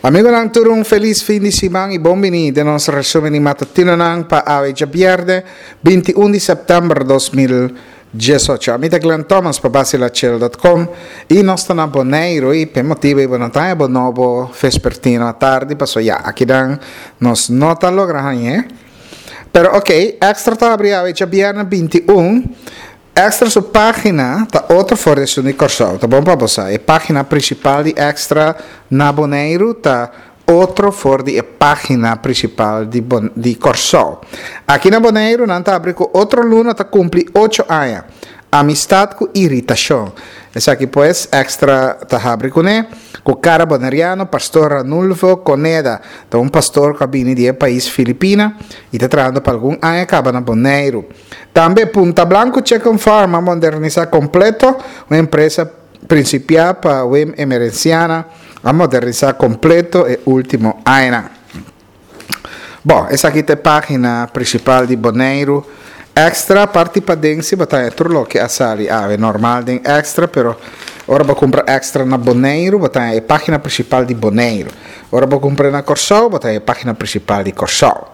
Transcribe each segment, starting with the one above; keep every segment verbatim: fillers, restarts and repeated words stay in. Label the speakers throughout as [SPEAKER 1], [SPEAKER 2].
[SPEAKER 1] Amigonan, tur un felis fin di siman i bon bini den nos resumen di matutinonan pa awe djabièrnè binti un di sèptèmber dos mil diesocho. Ami ta Glenn Thomas pa Basilachel dot com i nos ta na Boneiru i p'e motibu ei bo no ta haña bo nobo vespertino atardi pasobra ya akinan nos no ta logra hañ'é. Pero ok, Extra ta habri awe djabièrnè binti un. Extra su página ta otro for di esun di Kòrsou. Ta bon pa bo sa, e página prinsipal di Extra na Boneiru ta otro for di e página prinsipal di Bon di Kòrsou. Aki na Boneiru nan ta abri ku otro luna ta kumpli ocho aña. Amistat ku iritashon. Esaki pues Extra ta habri kuné. Ku kara boneriano, Pastor Ranulfo Coneda ta un pastor ku a bini di e pais Filipina i ta trahando pa algun aña kaba na Boneiru. Tambe Punta Blanco Chicken Farm a modernisá kompleto, un empresa prinsipiá pa Wim Emerenciana a modernisá kompleto e último añanan. Bon, esaki ta e página prinsipal di Boneiru Extra. Parti paden si bo ta haña tur loke a sali awe normal den Extra, pero ora bo kumpra Extra na Boneiru bo ta haña e página prinsipal di Boneiru. Ora bo kumpra na Kòrsou bo ta haña e página prinsipal di Kòrsou.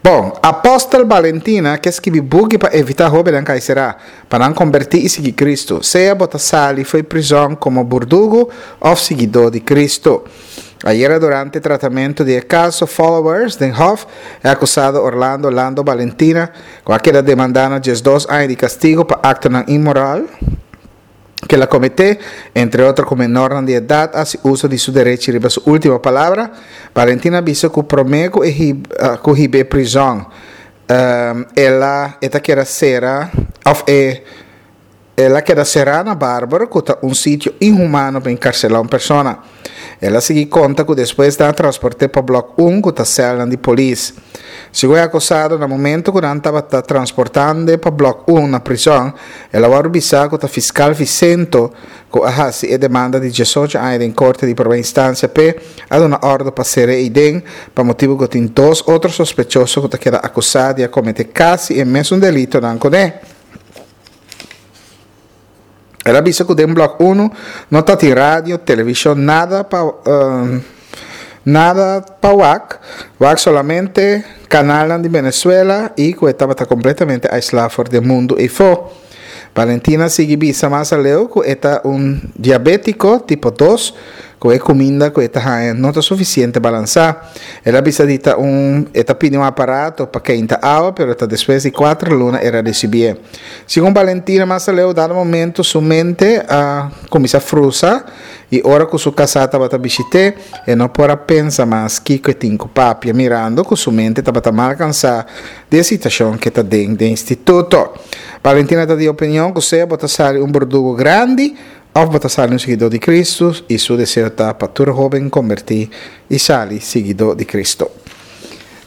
[SPEAKER 1] Bon, Apòstel Balentina ke skibi buki pa evitá hóbennan kai será, pa nan kombertí i sigui Kristu, sea bo ta sali fo'i prizòn komo burdugu òf siguidó di Kristu. Ayera durante tratamentu di e kaso Followers den Hof, e akusado Orlando Lando Balentina, ku a keda demandá na diesdos aña di kastigu pa aktonan inmoral ku el a kometé, entre otro ku menornan di edat, a hasi uso di su derechi riba su último palabra. Balentina a bisa ku promé ku e ku hib'é prizòn, el a e ta keda sera òf e El a keda será na Bárbaro, ku ta un sitio inhumano pa enkarselá un persona. El a sigui konta ku despues nan a transport'é pa Blòk un, ku ta sèlnan di polis. Segun e akusado, na momentu ku nan tabata transportand'e pa Blòk un na prizòn, el a wòrdu bisá ku ta fiskal Vicento, ku a hasi e demanda di diesocho aña den korte di promé instansia p'e, a duna òrdu pa ser'é eiden, pa motibu ku tin dos otro sospechoso ku ta keda akusá di a kometé kasi e mesun delitonan kuné. El a bisa ku den blòk unu no ta tin radio, televishon, nada pa nada pa wak, wak solamente kanalnan di Venezuela i ku e tabata kompletamente aislá for di e mundu eifó. Valentina a sigui bisa mas aleu ku e ta un diabétiko tipo dos Ku e kuminda ku e ta haña no ta sufisiente balansá. El a bisa di ta un e ta pidi un aparato pa keinta awa pero ta despues di kuater luna el a risibié. Segun Valentina mas aleu dado momento su mente a kuminsá frusa i ora ku su kasá tabata bishit'é e no por a pensa mas kiko e tin ku papia mirando ku su mente tabata mal kansá di e situashon ku e ta den den instituto. Valentina ta di opinion ku sea bo ta sali un burdugu grandi Òf bo ta sali un siguidó di Kristu i su deseo ta pa tur hóben kombertí i sali siguidó di Kristu.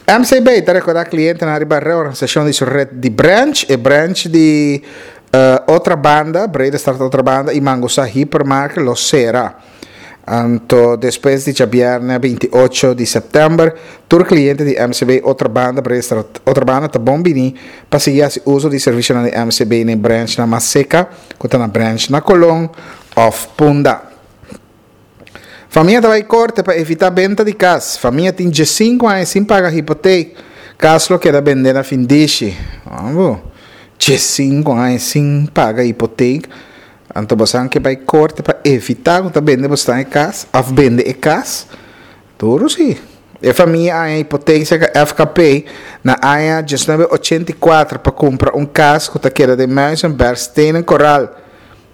[SPEAKER 1] M C B ta rekordá klientenan riba reorganisashon di su ret di branch. E branch di Otrabanda, Bredestraat Otrabanda i Mangusá Hypermarket lo sera. Anto despues di djabièrnè binti ocho di sèptèmber, tur kliente di M C B Otrabanda, Bredestraat Otrabanda ta bon bini pa sigui hasi uso di servisionan di M C B na e branchnan mas seka, ku ta na branch na Colon òf Punda. Famia ta bai korte pa evitá benta di kas. Famia tin diesinku aña sin paga hipotek. Kas lo keda bendé na findishi. Abo, diesinku aña sin paga hipotek. Anto bosan ke bai korte pa evitá ku ta bende bosnan e kas òf bende e kas? Duru si. E famia a haña hipotek serka F K P na aña diesnuebe ochenta i kuater pa kumpra un kas ku ta keda den Muizenberg Stenen Koraal.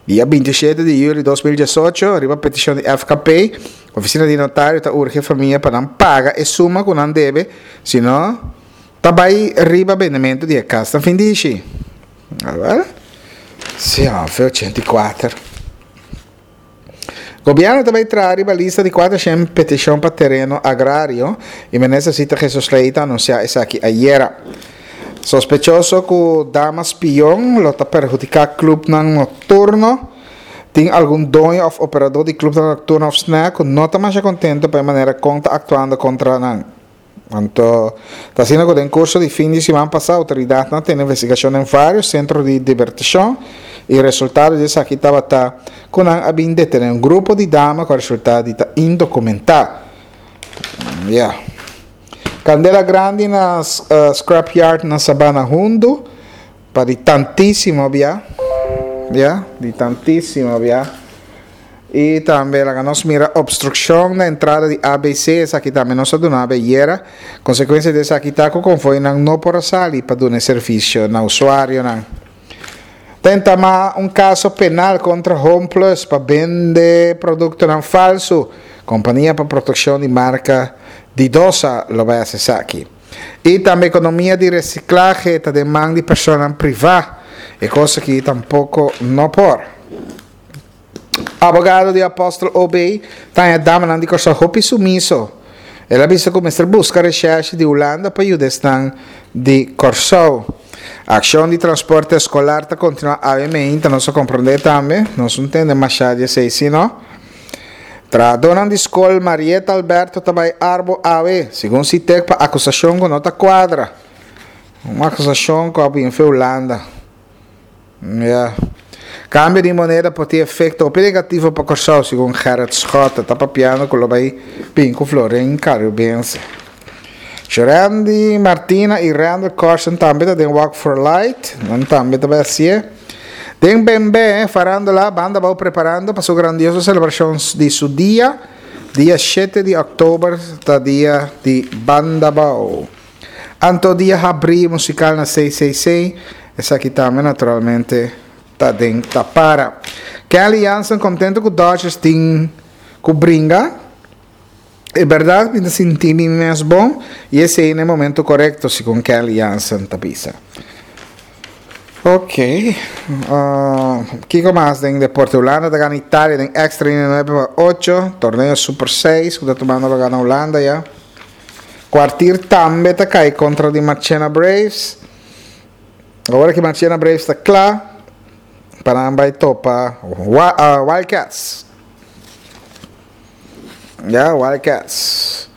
[SPEAKER 1] Dia binti shete di yüli dos mil diesocho, riba petishon di F K P, ofisina di notario ta urgi e famia pa nan paga e suma ku nan debe, sino ta bai riba bendementu di e kas na findishi. Awel, si òf e ochenta i kuater. Gobièrnu ta bai traha riba lista di kuater shen petishon pa tereno agrario i Minister Sita Jesus-Leito a anunsiá esaki ayera. Sospechoso ku dama spion lo ta perhudiká klupnan nokturno. Tin algun doño òf operadó di klupnan nokturno òf snèk ku no ta masha kontento pa e manera kon ta aktuando kontra nan. Anto, ta asina ku den kurso di fin di siman pasá outoridatnan a tene investigashon den vários sentro di dibertishon i resultado di esaki tabata ku nan a bin detené un grupo di dama ku a resultá di ta indokumentá. Yeah. Kandela grandi na uh, scrapyard na Sabana Hundo. Pa di tantísimo bia. Yeah, di tantísimo bia. I tambe laga nos mira obstrukshon na entrada di A B C, esaki tambe nos a duna ayera. Konsekuensia di esaki ta ku konvoinan no por sali pa duna servisio na usuarionan. Ta entamá un kaso penal kontra Home Plus pa bende produktonan falsu. Kompania pa Protekshon di Marka Didosa lo bai hasi esaki. I tambe ekonomia di resiklahe ta den man di persona privá. E kos aki tampoko no por. Abogado di Apostel O B ta haña damanan di Kòrsou hopi sumiso. El a bisa ku mester buska recherche di Hulanda pa yuda di Kòrsou. Akshon di transporte eskolar ta kontinuá A M, nos a komprondé tambe, nos no tende mas di seis, no? Trahadónan di skol Marieta Alberto ta bai Arbo awe, segun Sitek, pa akusashon ku no ta kuadra. Un akusashon ku a bin Hulanda. Yeah. Kambio di moneda por tin efekto negativo pa Kòrsou, segun Gerrit Schotte, ta papiando ku lo bai bin ku florin karibense. Randy Martina i Randall Carson tambe ta den Walk for Light, nan tambe ta asina. Den B M B, farándula, Banda Abou preparando pa su grandioso selebrashon di su dia, dia shete di òktober, ta dia di Banda Abou. Anto dia habri musikal na C C C, esaki tambe naturalmente ta den tapara. Kenley Jansen kontentu ku Dodgers tin ku bringa. E berdat, mi ta sinti mi mes bon i esei ta e momento korekto, segun Kenley Jansen ta bisa. Ok. Uh, Kiko mas den deporte? Hulanda ta gana Italia den extra inning nuebe pa ocho. Torneo Super seis, ku ta tumando lugá na Hulanda ya. Kwartier tambe ta kai kontra di Marchena Braves. Awor ku Marchena Braves ta kla pa bai topa uh, Wildcats. Ya, Wildcats.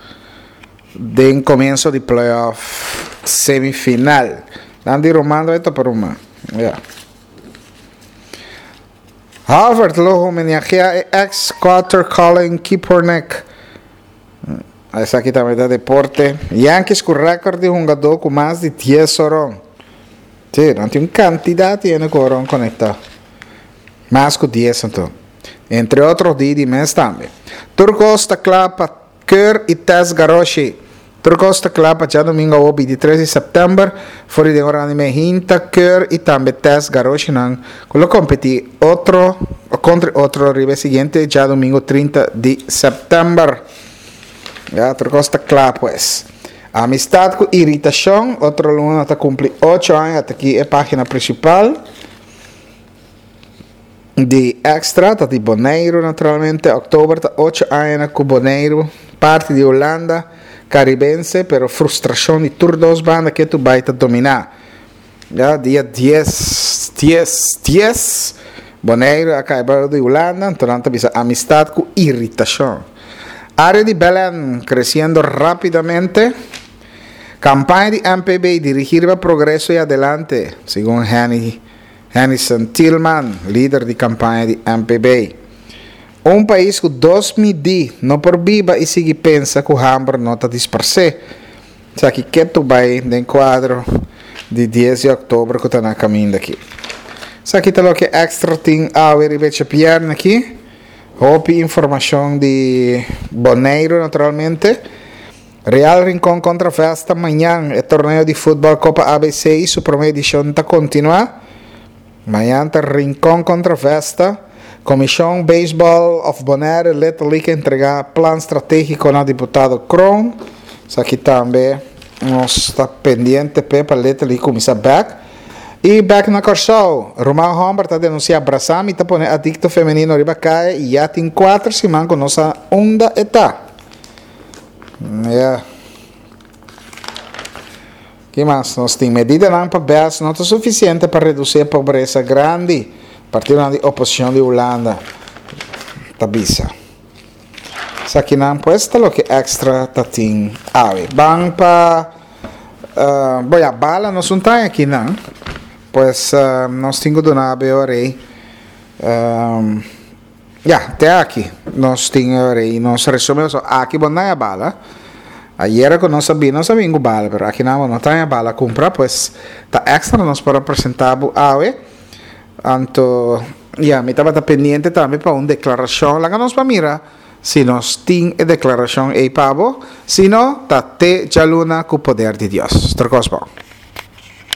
[SPEAKER 1] Den komienso di playoff semifinal. Andy Romano bai topa Roma. Ya. Harvard lo homenageá ex-quarter Colin Kaepernick. Esaki tambe ta deporte. Yankees ku rékòrt di hungadó ku mas di dies horon. Si, nan tin un kantidat di horon konektá. Mas ku dies anto. Entre otro Didi mes tambe. Tur kos ta kla pa Keur i Test Garoshi. Tur kos ta kla pa djadumingu bintitres di sèptèmber. For di ora di mainta Keur i tambe Test Garoshi nan ku lo kompetí otro kontra otro riba siguiente djadumingu trinta di sèptèmber. Ya, tur kos ta kla pues. Amistat ku iritashon, otro luna ta kumpli ocho aña, aki e página prinsipal di Extra, ta di Boneiru naturalmente, òktober ta ocho aña ku Boneiru, parti di Hulanda, karibense, pero frustrashon di tur dos banda ku tur bai ta dominá. Ya, dia dies, dies, dies, Boneiru a kai di Hulanda, anto ta bisa amistat ku iritashon. Área di Belen kresiendo rápidamente. Kampaña di M P B dirigí pa progreso i adelante, segun Henny Hennison Tillman, lider di kampaña di M P B. Un pais ku dos midí no por biba i sigui pensa ku hamber no ta disparsé. Esaki ku bai den kuadro di dies di òktober ku ta na kaminda aki. Esaki ta loke Extra tin awe riba djabièrnè aki. Hopi informashon di Boneiru naturalmente. Real Rincon kontra Vesta mañan, e torneo di futbòl Kopa A B C, su promé edishon ta kontinuá. Mañan ta Rincon kontra Vesta. Komishon Baseball of Bonaire Little League entregá plan stratégiko na diputado Kroon. Esaki tambe nos ta pendiente pa Little League kuminsá bèk. I bèk na Kòrsou, Roman Humber ta denunsiá Brasami ta pone adikto femenino riba kaya i ya tin kuater siman ku no sa unda e ta. Yeah. Ki mas? Nos tin medidanan pa B E S no ta sufisiente pa redusí pobresa grandi. Partido di oposishon di Hulanda. Ta bisa. Esaki nan pues ta loke Extra ta tin awe. Ban pa uh, boya bala nos no tin aki nan. Pues uh, nos tin ku duna rei. Um, ya, te aki. Nos tin rei, nos resumé so aki bon na bala. Ayera ku nos a bin, nos a bin ku bala, pero aki nan no tin bala kumpra, pues ta extra nos por presentá awe. Anto, ya, mi tabata pendiente tambe pa un deklarashon. Laga nos pa mira si nos tin e deklarashon ei pa bo, si no, ta te djaluna ku poder di Dios. Tur kos bon.